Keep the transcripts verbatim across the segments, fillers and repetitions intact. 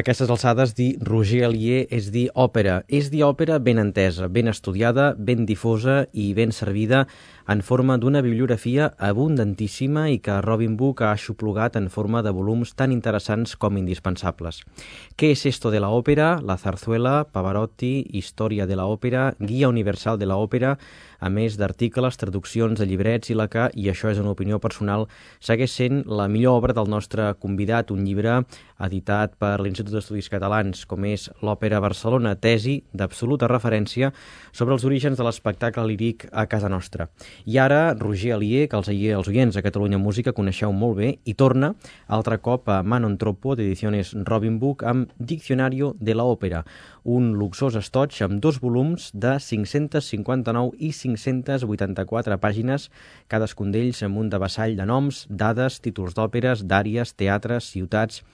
aquestes alçades, dir Roger Alier és dir òpera. És dir òpera ben entesa, ben estudiada, ben difosa i ben servida en forma d'una bibliografia abundantíssima i que Robin Book ha aixoplugat en forma de volums tan interessants com indispensables. ¿Qué es esto de la ópera? La zarzuela, Pavarotti, Història de la òpera, Guia universal de la òpera, a més d'articles, traduccions de llibrets i la que, i això és una opinió personal, segueix sent la millor obra del nostre convidat, un llibre editat per l'Institut d'Estudis Catalans, com és l'Òpera Barcelona, tesi d'absoluta referència sobre els orígens de l'espectacle líric a casa nostra. I ara, Roger Alier, que els, els oients a Catalunya Música coneixeu molt bé, i torna altre cop a Manon Troppo, d'edicions Robin Book, amb Diccionario de la Òpera, un luxós estoig amb dos volums de cinc-centes cinquanta-nou i cinc-centes vuitanta-quatre pàgines, cadascun d'ells amb un devessall de noms, dades, títols d'òperes, d'àries, teatres, ciutats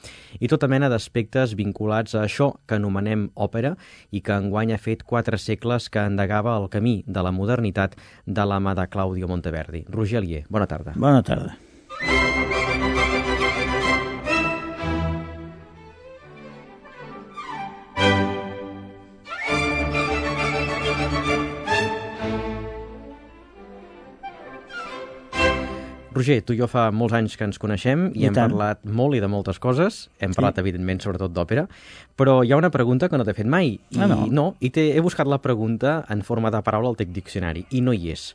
i tota mena d'aspectes vinculats a això que anomenem òpera i que enguany ha fet quatre segles que endegava el camí de la modernitat de la mà de Claudio Monteverdi. Roger Alier, bona tarda. Bona tarda. Roger, tu i jo fa molts anys que ens coneixem i, I hem tant. parlat molt i de moltes coses. Hem sí. parlat, evidentment, sobretot d'òpera, però hi ha una pregunta que no t'he fet mai. I, ah, no? no I he buscat la pregunta en forma de paraula al teu diccionari, i no hi és.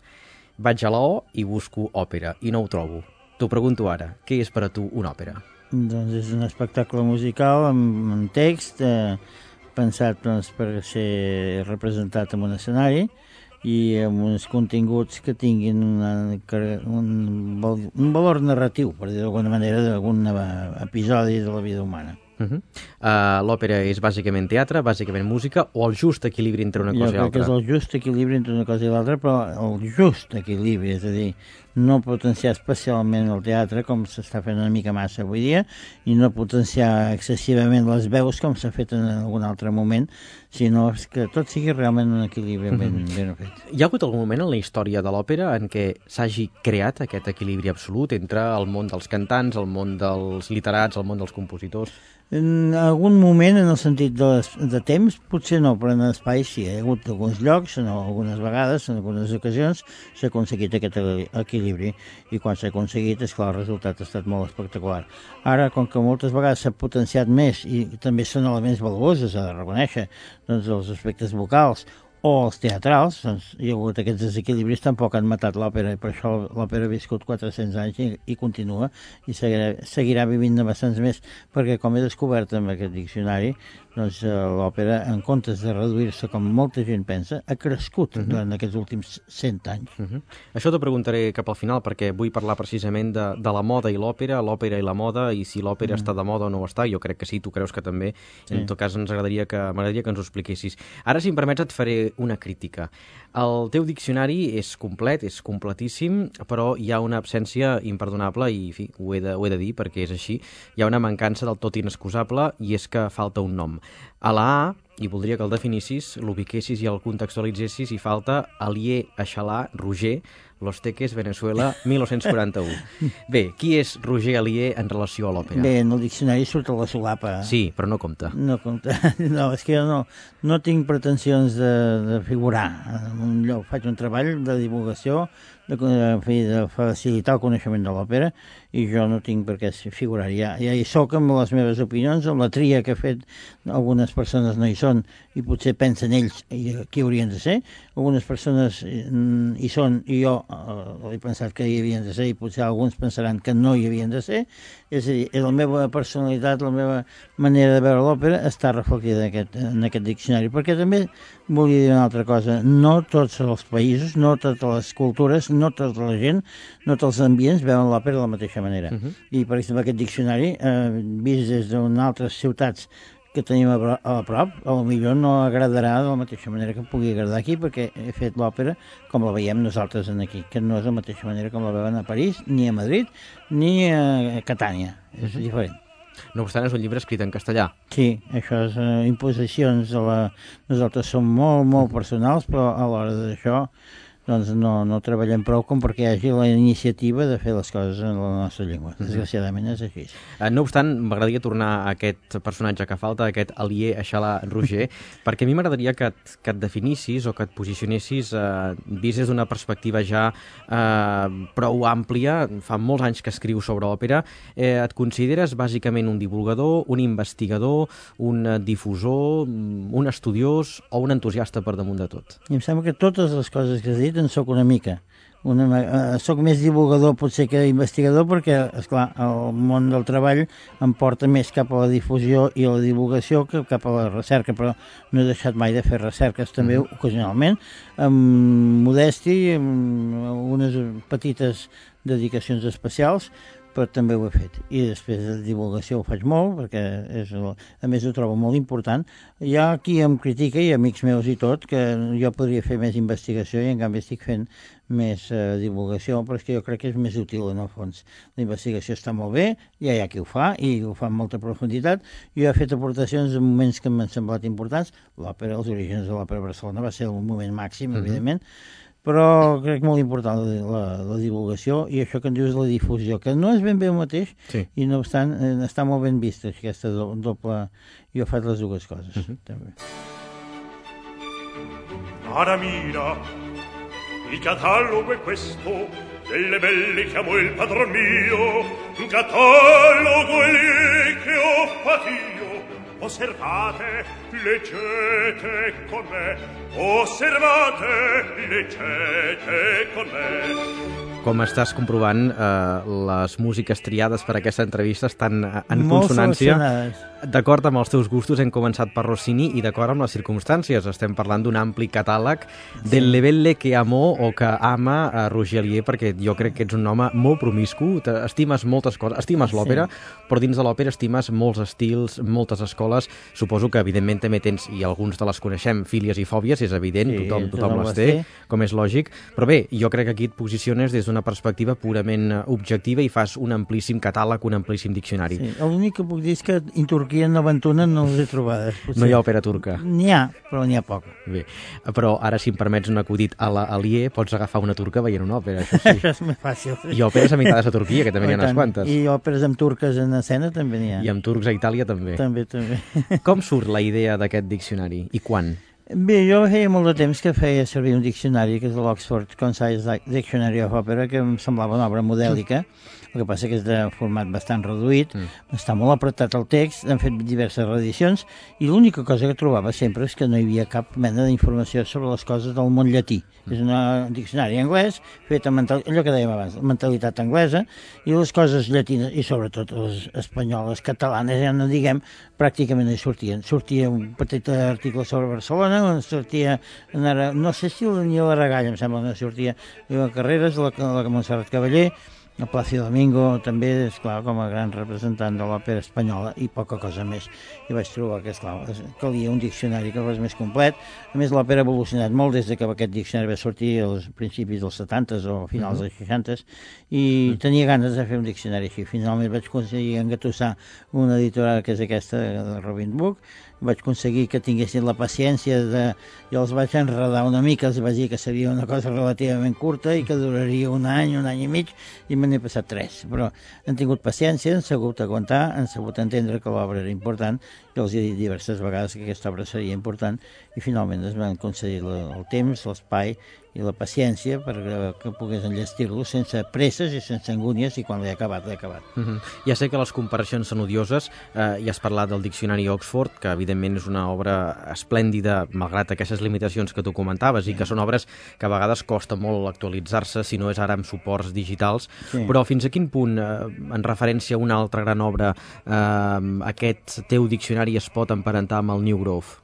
Vaig a la O i busco òpera, i no ho trobo. T'ho pregunto ara, què és per a tu una òpera? Doncs és un espectacle musical amb, amb text, eh, pensat doncs, per ser representat en un escenari, i amb uns continguts que tinguin una, un, un valor narratiu, per dir d'alguna manera, d'algun episodi de la vida humana. Uh-huh. uh, L'òpera és bàsicament teatre, bàsicament música, o el just equilibri entre una cosa jo i l'altra? Jo crec que és el just equilibri entre una cosa i l'altra, però el just equilibri, és a dir, no potenciar especialment el teatre, com s'està fent una mica massa avui dia, i no potenciar excessivament les veus, com s'ha fet en algun altre moment, sinó que tot sigui realment un equilibri ben, mm-hmm. ben fet. Hi ha hagut algun moment en la història de l'òpera en què s'hagi creat aquest equilibri absolut entre el món dels cantants, el món dels literats, el món dels compositors? En algun moment, en el sentit de, les, de temps, potser no, però en espai sí. Hi ha hagut alguns llocs, en algunes vegades, en algunes ocasions, s'ha aconseguit aquest equilibri. I quan s'ha aconseguit, és clar, el resultat ha estat molt espectacular. Ara, com que moltes vegades s'ha potenciat més, i també són elements valuosos, s'ha de reconèixer, doncs els aspectes vocals, o els teatrals, doncs hi ha hagut aquests desequilibris, tampoc han matat l'òpera, i per això l'òpera ha viscut quatre-cents anys i, i continua, i seguirà, seguirà vivint bastants més, perquè com he descobert amb aquest diccionari, doncs l'òpera, en comptes de reduir-se com molta gent pensa, ha crescut uh-huh. durant aquests últims cent anys. Uh-huh. Això t'ho preguntaré cap al final, perquè vull parlar precisament de, de la moda i l'òpera, l'òpera i la moda, i si l'òpera uh-huh. està de moda o no està. Jo crec que sí, tu creus que també. Sí. En tot cas, ens agradaria que, m'agradaria que ens ho expliquessis. Ara, si em permets, et faré una crítica. El teu diccionari és complet, és completíssim, però hi ha una absència imperdonable, i en fi, ho he de, ho he de dir perquè és així. Hi ha una mancança del tot inexcusable, i és que falta un nom. A la A, i voldria que el definissis, l'ubiquessis i el contextualitzessis, hi falta Alier Aixalà Roger, Los Teques, Venezuela, mil nou-cents quaranta-u. Bé, qui és Roger Alier en relació a l'òpera? Bé, en el diccionari surt a la solapa. Sí, però no compta. No compta. No, és que jo no, no tinc pretensions de, de figurar. En un lloc faig un treball de divulgació, de, de, de facilitar el coneixement de l'òpera, i jo no tinc per què figurar. Ja, ja hi soc amb les meves opinions, amb la tria que he fet, algunes persones no hi són, i potser pensen ells qui haurien de ser, algunes persones hi són i jo eh, he pensat que hi havien de ser, i potser alguns pensaran que no hi havien de ser. És a dir, la meva personalitat, la meva manera de veure l'òpera està reflectida en aquest, en aquest diccionari, perquè també volia dir una altra cosa: no tots els països, no totes les cultures, no tota la gent, no tots els ambients veuen l'òpera de la mateixa manera. Uh-huh. I, per exemple, aquest diccionari, eh, vist des d'altres ciutats que tenim a, a prop, a lo millor no agradarà de la mateixa manera que pugui agradar aquí, perquè he fet l'òpera com la veiem nosaltres aquí, que no és de la mateixa manera com la veuen a París, ni a Madrid, ni a Catània. És uh-huh. diferent. No obstant, és un llibre escrit en castellà. Sí, això és uh, imposicions. De la... Nosaltres som molt, molt personals, però a l'hora d'això doncs no, no treballem prou com perquè hi hagi la iniciativa de fer les coses en la nostra llengua. Desgraciadament és així. No obstant, m'agradaria tornar a aquest personatge que falta, aquest Alier Aixalà Roger, perquè a mi m'agradaria que, et, que et definissis o que et posicionessis eh, vist des d'una perspectiva ja eh, prou àmplia. Fa molts anys que escrius sobre òpera. Eh, et consideres bàsicament un divulgador, un investigador, un difusor, un estudiós o un entusiasta per damunt de tot? I em sembla que totes les coses que has dit en soc una mica. Una, eh, soc més divulgador potser que investigador perquè, esclar, el món del treball em porta més cap a la difusió i a la divulgació que cap a la recerca, però no he deixat mai de fer recerques també mm. ocasionalment, amb modèstia, amb unes petites dedicacions especials, però també ho he fet. I després de divulgació ho faig molt, perquè és, a més ho trobo molt important. Hi ha qui em critica, i amics meus i tot, que jo podria fer més investigació i en canvi estic fent més eh, divulgació, però és que jo crec que és més útil en el fons. La investigació està molt bé, ja hi ha qui ho fa, i ho fa amb molta profunditat. Jo he fet aportacions en moments que m'han semblat importants. L'òpera, els orígens de l'òpera Barcelona va ser un moment màxim, uh-huh. evidentment, però crec molt important la, la, la divulgació i això que en dius la difusió, que no és ben bé el mateix, sí. I no obstant eh, està molt ben vista aquesta do, doble... Jo faig les dues coses, uh-huh. també. Ara mira, il catalogo è questo, delle belle chiamo il padron mio, un catalogo è lì che ho fatto io. Osservate, leggete con me, osservate, leggete con me. Com estàs comprovant, eh, les músiques triades per aquesta entrevista estan en molt consonància. D'acord amb els teus gustos, hem començat per Rossini i d'acord amb les circumstàncies. Estem parlant d'un ampli catàleg sí. del Lebelle que amó o que ama a Roger Alier, perquè jo crec que ets un home molt promiscu, estimes moltes coses, estimes l'òpera, sí. però dins de l'òpera estimes molts estils, moltes escoles. Suposo que, evidentment, també tens, i alguns de les coneixem, fílies i fòbies, és evident, sí, tothom, tothom les té, com és lògic. Però bé, jo crec que aquí et posiciones des d'una perspectiva purament objectiva i fas un amplíssim catàleg, un amplíssim diccionari. Sí, l'únic que puc dir és que en Turquia no aventunen, no les he trobades. Potser. No hi ha òpera turca? N'hi ha, però n'hi ha poca. Bé, però ara, si em permets un acudit a l'Alier, pots agafar una turca veient una òpera, això sí. Això és més fàcil. I òperes amitades a Turquia, que també n'hi ha unes quantes. I òperes amb turques en escena també n'hi ha. I amb turcs a Itàlia també. També, també. Com surt la idea d'aquest diccionari i quan? Bé, jo feia molt de temps que feia servir un diccionari, que és l'Oxford Concise Dictionary of Opera, que em semblava una obra modèlica. El que passa que és de format bastant reduït, mm. està molt apretat el text, han fet diverses reedicions, i l'única cosa que trobava sempre és que no hi havia cap mena d'informació sobre les coses del món llatí. Mm. És un diccionari anglès, fet amb allò que dèiem abans, mentalitat anglesa, i les coses llatines, i sobretot les espanyoles, catalanes, ja no diguem, pràcticament no hi sortien. Sortia un petit article sobre Barcelona, on sortia, no sé si ni la Regalla, em sembla, no sortia, la Carreras, la, la Montserrat Cavaller, el Plácido Domingo també, és clar, com a gran representant de l'òpera espanyola i poca cosa més. I vaig trobar que, esclar, calia un diccionari que fos més complet. A més, l'òpera ha evolucionat molt des que aquest diccionari va sortir als principis dels setantes o finals dels seixantes i tenia ganes de fer un diccionari així. Finalment vaig aconseguir engatussar una editorial que és aquesta, de Robin Book. Vaig aconseguir que tinguessin la paciència de... Jo els vaig enredar una mica, els vaig dir que seria una cosa relativament curta i que duraria un any, un any i mig, i me n'he passat tres. Però han tingut paciència, han sabut aguantar, han sabut entendre que l'obra era important, i els he dit diverses vegades que aquesta obra seria important, i finalment es van concedir el temps, l'espai i la paciència perquè pogués enllestir-lo sense presses i sense angúnies, i quan l'he acabat, l'he acabat. Uh-huh. Ja sé que les comparacions són odioses, eh, i has parlat del diccionari Oxford, que evidentment és una obra esplèndida, malgrat aquestes limitacions que tu comentaves, sí. I que són obres que a vegades costa molt actualitzar-se, si no és ara amb suports digitals, sí. Però fins a quin punt, eh, en referència a una altra gran obra, eh, aquest teu diccionari es pot emparentar amb el New Grove?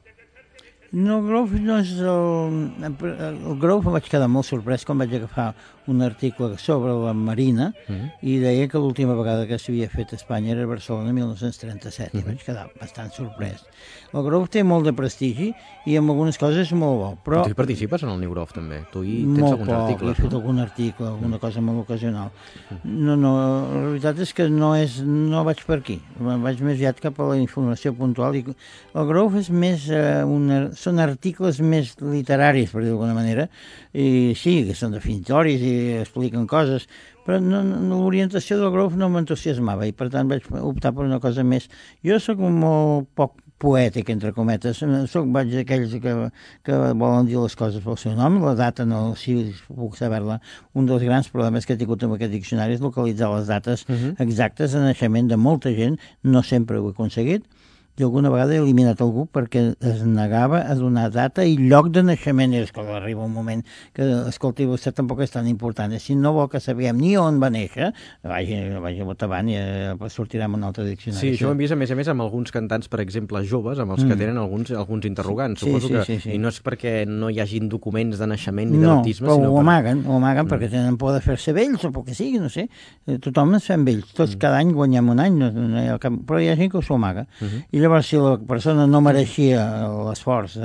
No, el Grove no és el... El Grove em vaig quedar molt sorprès quan vaig agafar un article sobre la Marina uh-huh. i deia que l'última vegada que s'havia fet a Espanya era a Barcelona mil nou-cents trenta-set, uh-huh. i vaig quedar bastant sorprès. El Grove té molt de prestigi i en algunes coses és molt bo, però... Tu hi participes en el New Grove, també? Tu hi tens alguns poc, articles, he fet no? algun article, alguna cosa molt ocasional. No, no, la veritat és que no, és, no vaig per aquí, vaig més aviat cap a la informació puntual. I el Grove és més eh, una... són articles més literaris, per dir d'alguna manera, i sí, que són definitoris i expliquen coses, però no, no, l'orientació del grup no m'entusiasmava i per tant vaig optar per una cosa més. Jo sóc molt poc poètic, entre cometes, soc vaig d'aquells que, que volen dir les coses pel seu nom, la data no, si puc saber-la. Un dels grans problemes que he tingut amb aquest diccionari és localitzar les dates uh-huh. exactes de naixement de molta gent, no sempre ho he aconseguit, i alguna vegada he eliminat algú perquè es negava a donar data i lloc de naixement. I és que arriba un moment que, escolti, vostè tampoc és tan important. Si no vol que sapiguem ni on va néixer, vagi, vagi a Botavant i eh, sortirà amb un altre diccionari. Sí, això ho hem vist, a més a més, amb alguns cantants, per exemple, joves, amb els que mm. tenen alguns, alguns interrogants. Sí, Suposo sí, que, sí, sí. I no és perquè no hi hagin documents de naixement ni de no, baptisme, sinó sinó ho per... amaguen, ho amaguen mm. perquè tenen por de fer-se vells o pel que sigui, no sé. Tothom ens fem vells. Tots mm. cada any guanyem un any, no, no hi ha cap... però hi ha gent que s'ho amaga. Mm -hmm. I llavors, si la persona no mereixia l'esforç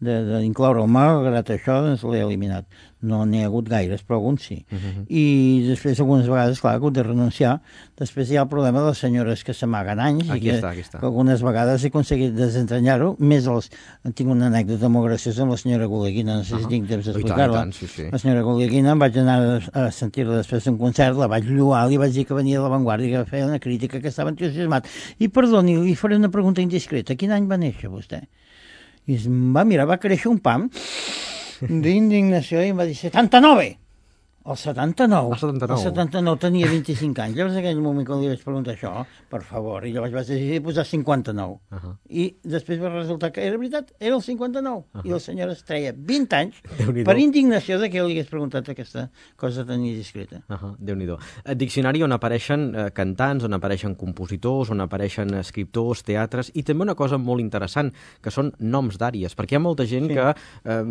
d'incloure'l, malgrat això, doncs l'he eliminat. No n'hi ha hagut gaires, però alguns sí. Uh-huh. I després, algunes vegades, clar, he hagut de renunciar. Després hi ha el problema de les senyores que s'amaguen anys. Aquí i que, està, aquí està. que algunes vegades he aconseguit desentranyar-ho. Més els... Tinc una anècdota molt graciosa amb la senyora Goleguina, no sé si uh-huh. tinc temps d'explicar-la. Sí, sí. La senyora Goleguina, em vaig anar a sentir-la després d'un concert, la vaig lloar, li vaig dir que venia de l'avantguàrdia, que feia una crítica, que estava entusiasmat. I perdoni, li faré una pregunta indiscreta. Quin any va néixer vostè? I em va mirar, va créixer un pam d'indignació i em va dir setanta-nou. El setanta-nou. El setanta-nou. El setanta-nou tenia vint-i-cinc anys. Llavors, en aquell moment que li vaig preguntar això, per favor, i llavors vaig decidir posar cinquanta-nou. Uh-huh. I després va resultar que era veritat, era el cinquanta-nou. Uh-huh. I la senyora es treia vint anys per indignació de que jo li hagués preguntat aquesta cosa tan indiscreta. Uh-huh. Déu-n'hi-do. Diccionari on apareixen eh, cantants, on apareixen compositors, on apareixen escriptors, teatres, i també una cosa molt interessant, que són noms d'àries, perquè hi ha molta gent sí. que eh,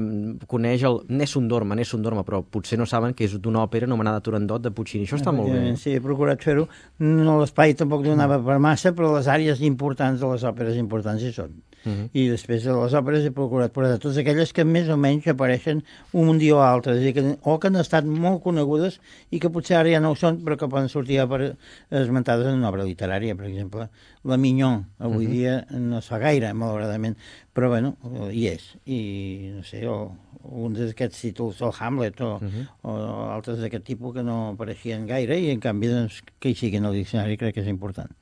coneix el Nessun Dorma, Nessun Dorma, però potser no saben que és d'una òpera anomenada Turandot de Puccini. Això està molt bé. Sí, he procurat fer-ho. No, l'espai tampoc donava per massa, però les àrees importants de les òperes importants hi són. Uh-huh. I després de les òperes he procurat posar totes aquelles que més o menys apareixen un dia o altre, és a dir, que, o que han estat molt conegudes i que potser ara ja no ho són, però que poden sortir per, esmentades en una obra literària. Per exemple, la Mignon, avui uh-huh. dia no es fa gaire, malauradament, però bueno, hi és. I no sé, o un d'aquests títols, el Hamlet, o, uh-huh. o altres d'aquest tipus que no apareixien gaire i en canvi doncs, que hi siguin al diccionari crec que és important.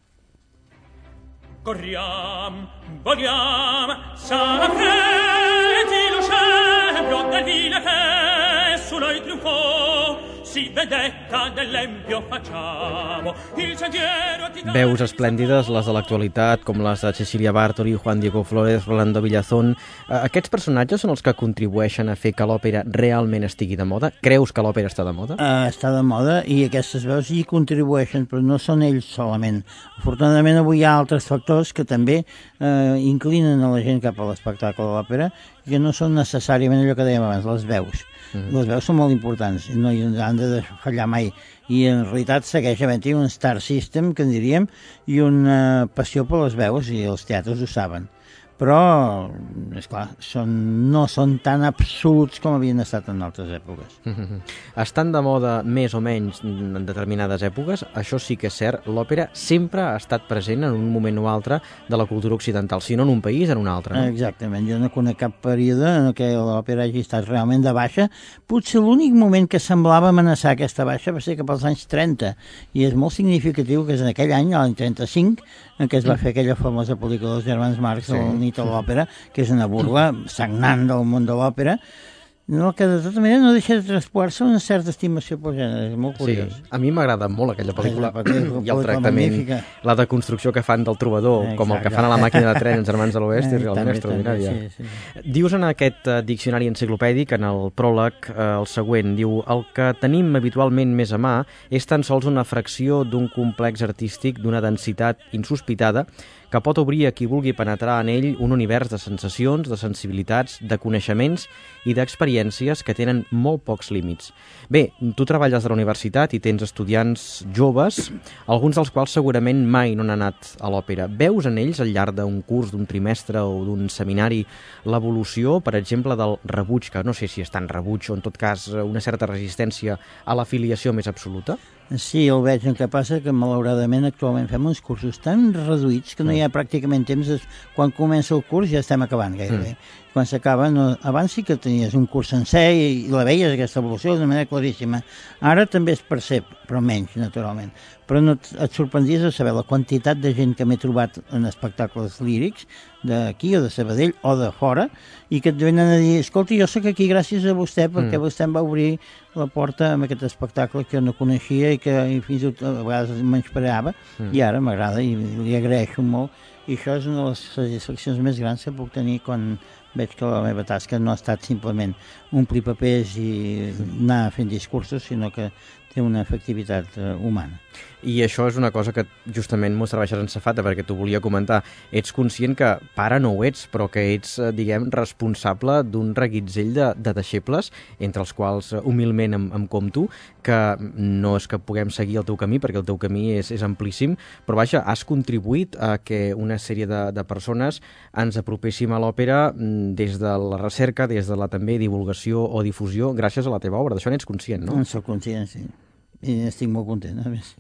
Corriam, voliam, sapreti lo scempio del vile che su noi trionfò, si vedetta dell'empio facciamo il sentiero a Titano. Veus esplèndides, les de l'actualitat, com les de Cecilia Bartoli, Juan Diego Flórez, Rolando Villazón. Aquests personatges són els que contribueixen a fer que l'òpera realment estigui de moda? Creus que l'òpera està de moda? Uh, està de moda i aquestes veus hi contribueixen, però no són ells solament. Afortunadament avui hi ha altres factors que també uh, inclinen a la gent cap a l'espectacle de l'òpera, que no són necessàriament allò que dèiem abans, les veus. Mm. Les veus són molt importants, no hi han de fallar mai. I en realitat segueix havent-hi un star system, que en diríem, i una passió per les veus, i els teatres ho saben. Però, esclar, són, no són tan absoluts com havien estat en altres èpoques. Mm-hmm. Estan de moda més o menys en determinades èpoques, això sí que és cert, l'òpera sempre ha estat present en un moment o altre de la cultura occidental, si no en un país, en un altre. No? Exactament, jo no conec cap període en què l'òpera hagi estat realment de baixa. Potser l'únic moment que semblava amenaçar aquesta baixa va ser cap als anys trenta, i és molt significatiu que és en aquell any, l'any trenta-cinc, en què es va fer aquella famosa pel·lícula dels germans Marx, sí. El Nit a l'òpera, que és una burla sagnant del món de l'òpera, no, que de tota manera no deixa de traspuar-se una certa estimació pel gènere, és molt curiós. Sí, a mi m'agrada molt aquella pel·lícula i el tractament, la deconstrucció que fan del trobador, exacte, com el que fan a la màquina de tren els germans de l'Oest, és realment extraordinària. Sí, sí. Dius en aquest uh, diccionari enciclopèdic, en el pròleg, uh, el següent, diu: el que tenim habitualment més a mà és tan sols una fracció d'un complex artístic d'una densitat insospitada que pot obrir a qui vulgui penetrar en ell un univers de sensacions, de sensibilitats, de coneixements i d'experiències que tenen molt pocs límits. Bé, tu treballes a la universitat i tens estudiants joves, alguns dels quals segurament mai no han anat a l'òpera. Veus en ells, al llarg d'un curs, d'un trimestre o d'un seminari, l'evolució, per exemple, del rebuig, que no sé si és tan rebuig o en tot cas una certa resistència a la filiació més absoluta? Sí, el veig, el que passa que malauradament actualment fem uns cursos tan reduïts que no hi ha pràcticament temps, quan comença el curs ja estem acabant gairebé. Mm. quan s'acaba, no, abans sí que tenies un curs sencer i, i la veies, aquesta evolució, d'una manera claríssima. Ara també es percep, però menys, naturalment. Però no et, et sorprendies de saber la quantitat de gent que m'he trobat en espectacles lírics, d'aquí o de Sabadell o de fora, i que et venen a dir, escolta, jo sóc aquí gràcies a vostè, perquè mm. vostè em va obrir la porta amb aquest espectacle que jo no coneixia i que i fins i tot a vegades menyspreava, mm. i ara m'agrada i li agraeixo molt. I això és una de les satisfaccions més grans que puc tenir quan veig que la meva tasca no ha estat simplement omplir papers i anar fent discursos, sinó que té una efectivitat uh, humana. I això és una cosa que justament m'ho serveixes en safata, perquè t'ho volia comentar. Ets conscient que pare no ho ets, però que ets, diguem, responsable d'un reguitzell de, de deixebles, entre els quals humilment em, em compto, que no és que puguem seguir el teu camí, perquè el teu camí és, és amplíssim, però vaja, has contribuït a que una sèrie de, de persones ens apropéssim a l'òpera des de la recerca, des de la també divulgació o difusió, gràcies a la teva obra. D'això n'ets conscient, no? En soc conscient, sí. I estic molt content, a més.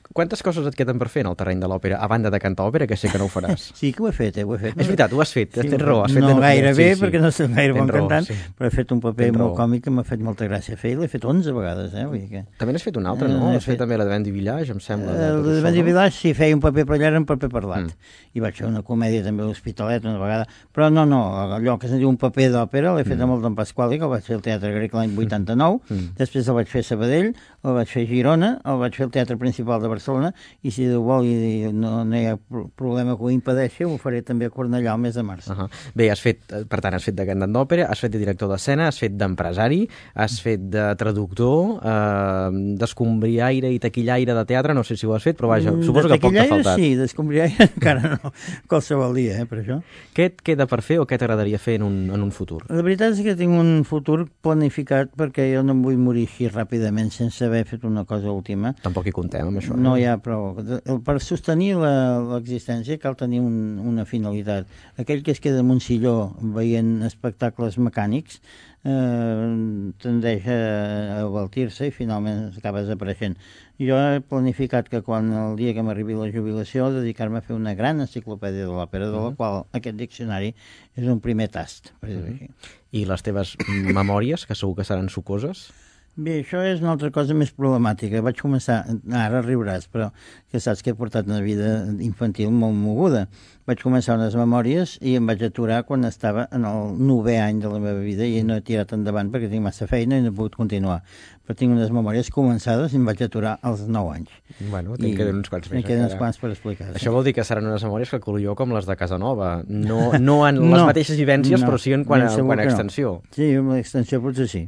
Quantes coses et queden per fer en el terreny de l'òpera, a banda de cantar òpera, que sé que no ho faràs? Sí que ho he fet, eh? Ho he fet. És veritat, ho has fet, sí, tens raó. Has fet no de... gaire sí, bé, sí. perquè no soc gaire bon raó, cantant, sí. però he fet un paper molt còmic que m'ha fet molta gràcia fer, i l'he fet onze vegades, eh? Vull dir que... També n'has fet un altre, no? Eh, has fet, fet també la de Vendi Village, em sembla. El de Vendi Village, sí, feia un paper per allà, era un paper parlat. Mm. I vaig fer una comèdia també a l'Hospitalet una vegada, però no, no, allò que se'n diu un paper d'òpera, l'he fet mm. amb el Don Pasquali, que el vaig fer al Teatre Grec l'any vuitanta-nou, mm. després el vaig fer a Sabadell, el vaig fer a Girona, el vaig fer al Teatre Principal de Barcelona, i si Déu vol i no, no hi ha problema que ho impedeixi, ho faré també a Cornellà el mes de març. Uh -huh. Bé, has fet, per tant, has fet de cantant d'òpera, has fet de director d'escena, has fet d'empresari, has fet de traductor, eh, d'escombriaire i taquillaire de teatre, no sé si ho has fet, però vaja, suposo que poc t'ha faltat. Sí, d'escombriaire encara no, qualsevol dia, eh, per això. Què et queda per fer o què t'agradaria fer en un, en un futur? La veritat és que tinc un futur planificat perquè jo no em vull morir així ràpidament sense haver fet una cosa última. Tampoc hi comptem amb això. No hi ha prou. Per sostenir l'existència cal tenir un, una finalitat. Aquell que es queda en un silló veient espectacles mecànics eh, tendeix a abaltir-se i finalment acaba desapareixent. Jo he planificat que quan el dia que m'arribi la jubilació dedicar-me a fer una gran enciclopèdia de l'òpera, de la qual aquest diccionari és un primer tast, per dir-ho així. I les teves memòries, que segur que seran sucoses? Bé, això és una altra cosa més problemàtica. Vaig començar, ara riuràs, però que saps que he portat una vida infantil molt moguda. Vaig començar unes memòries i em vaig aturar quan estava en el novè any de la meva vida i no he tirat endavant perquè tinc massa feina i no he pogut continuar. Però tinc unes memòries començades i em vaig aturar als nou anys. Bueno, te'n queden uns quants més. Te'n queden uns quants per explicar. Això sí. Vol dir que seran unes memòries que calculo jo com les de Casanova. No, no en les no, mateixes vivències, no, però sí en quant a, quant a extensió. No. Sí, en l'extensió potser sí.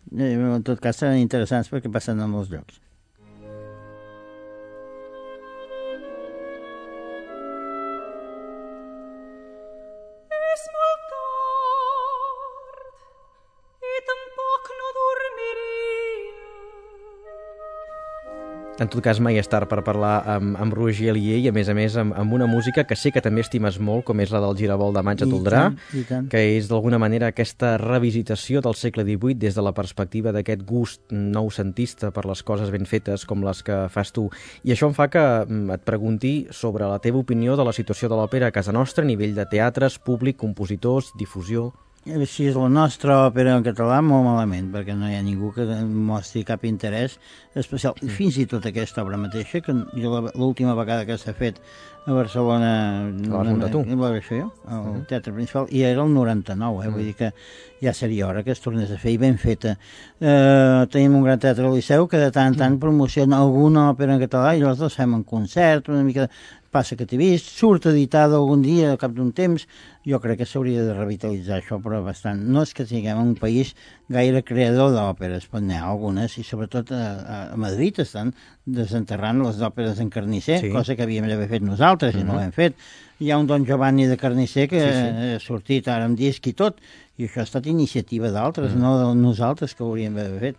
En tot cas seran interessants perquè passen a molts llocs. És molt tard i tampoc no dormiria. En tot cas, mai és tard per parlar amb, amb Roger Alier i, a més a més, amb, amb una música que sé que també estimes molt, com és la del Giravolt de Maig a Toldrà, que és d'alguna manera aquesta revisitació del segle divuit des de la perspectiva d'aquest gust noucentista per les coses ben fetes com les que fas tu. I això em fa que et pregunti sobre la teva opinió de la situació de l'òpera a casa nostra a nivell de teatres, públic, compositors, difusió. Si és la nostra òpera en català, molt malament, perquè no hi ha ningú que mostri cap interès especial. Mm. Fins i tot aquesta obra mateixa, que jo l'última vegada que s'ha fet a Barcelona... La vas muntar tu? La vaig fer jo, al uh -huh. Teatre Principal, i era el noranta-nou, eh? Mm. Vull dir que ja seria hora que es tornés a fer, i ben feta. Eh, tenim un gran teatre al Liceu que de tant en tant promociona alguna òpera en català i nosaltres fem un concert, una mica... Passa que t'he vist, surt editada algun dia, al cap d'un temps. Jo crec que s'hauria de revitalitzar això, però bastant. No és que siguem un país gaire creador d'òperes, però n'hi ha algunes, i sobretot a, a Madrid estan desenterrant les òperes en Carnisser, sí. Cosa que havíem d'haver fet nosaltres, uh-huh. I no ho hem fet. Hi ha un Don Giovanni de Carnisser que sí, sí. Ha sortit ara amb disc i tot, i això ha estat iniciativa d'altres, uh-huh. No de nosaltres, que hauríem d'haver fet.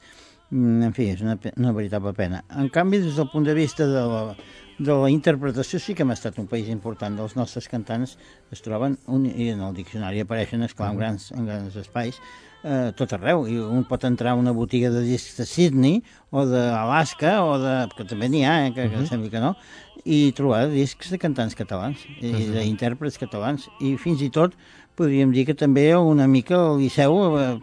En fi, és una, una veritable pena. En canvi, des del punt de vista de la... de la interpretació sí que hem estat un país important. Els nostres cantants es troben, un, i en el diccionari apareixen, esclar, en grans, en grans espais, eh, tot arreu. I un pot entrar a una botiga de discs de Sydney o d'Alaska, o de, que també n'hi ha, eh, que, que uh -huh. sembla que no, i trobar discs de cantants catalans, i uh -huh. d'intèrprets catalans, i fins i tot podríem dir que també una mica el Liceu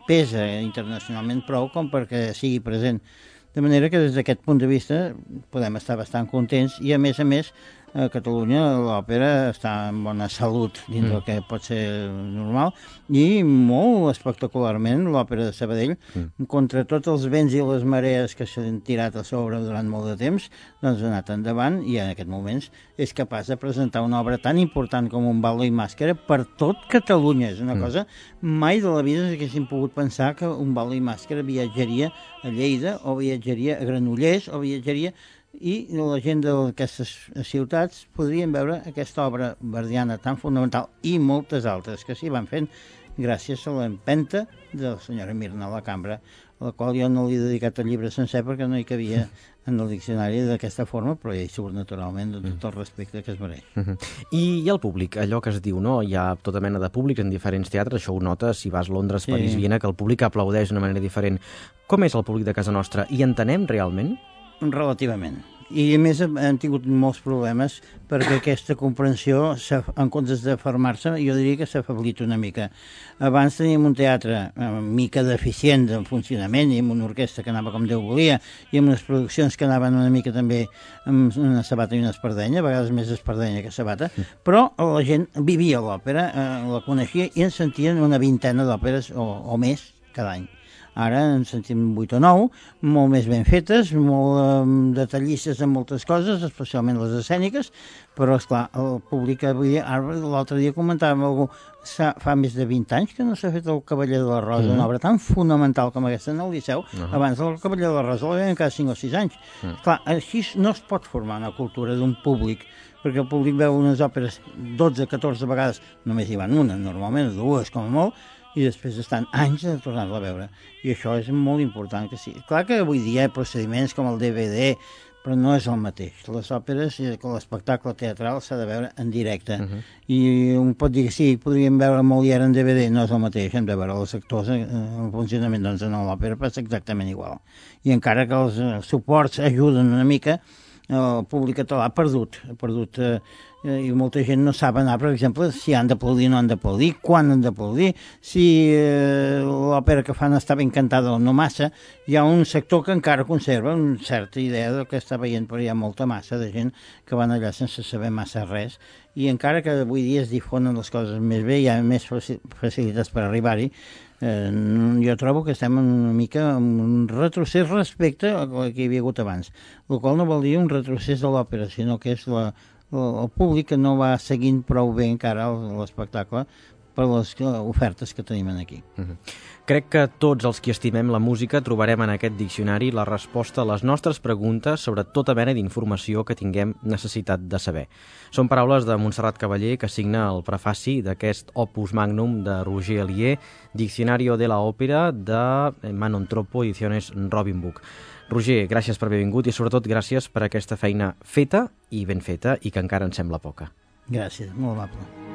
pesa internacionalment prou com perquè sigui present. De manera que des d'aquest punt de vista podem estar bastant contents i a més a més a Catalunya l'òpera està en bona salut dins mm. del que pot ser normal i molt espectacularment l'òpera de Sabadell, mm. contra tots els vents i les marees que s'han tirat a sobre durant molt de temps, doncs ha anat endavant i en aquests moments és capaç de presentar una obra tan important com un ballo i màscara per tot Catalunya. És una mm. cosa, mai de la vida haguéssim pogut pensar que un ballo i màscara viatjaria a Lleida o viatjaria a Granollers o viatjaria i la gent d'aquestes ciutats podrien veure aquesta obra verdiana tan fonamental i moltes altres que s'hi van fent gràcies a l'empenta de la senyora Mirna a la cambra, a la qual jo no li he dedicat el llibre sencer perquè no hi cabia en el diccionari d'aquesta forma, però ja hi surt naturalment de tot el respecte que es mereix. Uh-huh. I, I el públic, allò que es diu, no? Hi ha tota mena de públics en diferents teatres, això ho notes si vas a Londres, sí. París, Viena, que el públic aplaudeix d'una manera diferent. Com és el públic de casa nostra? I entenem realment? Relativament. I a més han tingut molts problemes perquè aquesta comprensió, en comptes de fermar-se, jo diria que s'ha afeblit una mica. Abans teníem un teatre una mica deficient en funcionament i amb una orquestra que anava com Déu volia i amb unes produccions que anaven una mica també amb una sabata i una espardenya, a vegades més espardenya que sabata, però la gent vivia l'òpera, eh, la coneixia i en sentien una vintena d'òperes o, o més cada any. Ara en sentim vuit o nou, molt més ben fetes, molt eh, detallistes en moltes coses, especialment les escèniques, però, esclar, el públic avui, l'altre dia comentàvem algú, fa més de vint anys que no s'ha fet el Cavaller de la Rosa, mm. una obra tan fonamental com aquesta en el Liceu, uh -huh. abans del Cavaller de la Rosa la veiem cada cinc o sis anys. Mm. Clar, així no es pot formar una cultura d'un públic, perquè el públic veu unes òperes dotze, catorze vegades, només hi van una, normalment dues com a molt, i després estan anys de tornar-la a veure. I això és molt important que sí. Clar que avui dia hi ha procediments com el D V D, però no és el mateix. Les òperes, l'espectacle teatral s'ha de veure en directe. Uh-huh. I un pot dir que sí, podríem veure Molière en D V D, no és el mateix, hem de veure els actors en funcionament, doncs en l'òpera passa exactament igual. I encara que els suports ajuden una mica, el públic català ha perdut, ha perdut eh, i molta gent no sap anar, per exemple, si han d'aplaudir o no han d'aplaudir, quan han d'aplaudir, si eh, l'òpera que fan està ben cantada o no massa. Hi ha un sector que encara conserva una certa idea del que està veient, però hi ha molta massa de gent que van allà sense saber massa res, i encara que avui dia es difonen les coses més bé, hi ha més facilitats per arribar-hi, eh, jo trobo que estem una mica en un retrocés respecte al que hi havia hagut abans, el qual no vol dir un retrocés de l'òpera, sinó que és la el públic que no va seguint prou bé encara l'espectacle per les ofertes que tenim aquí. Uh-huh. Crec que tots els que estimem la música trobarem en aquest diccionari la resposta a les nostres preguntes sobre tota mena d'informació que tinguem necessitat de saber. Són paraules de Montserrat Cavaller, que signa el prefaci d'aquest opus magnum de Roger Elier, Diccionario de la Ópera de Manon Troppo, ediciones Robin Book. Roger, gràcies per haver vingut i sobretot gràcies per aquesta feina feta i ben feta i que encara en sembla poca. Gràcies, molt amable.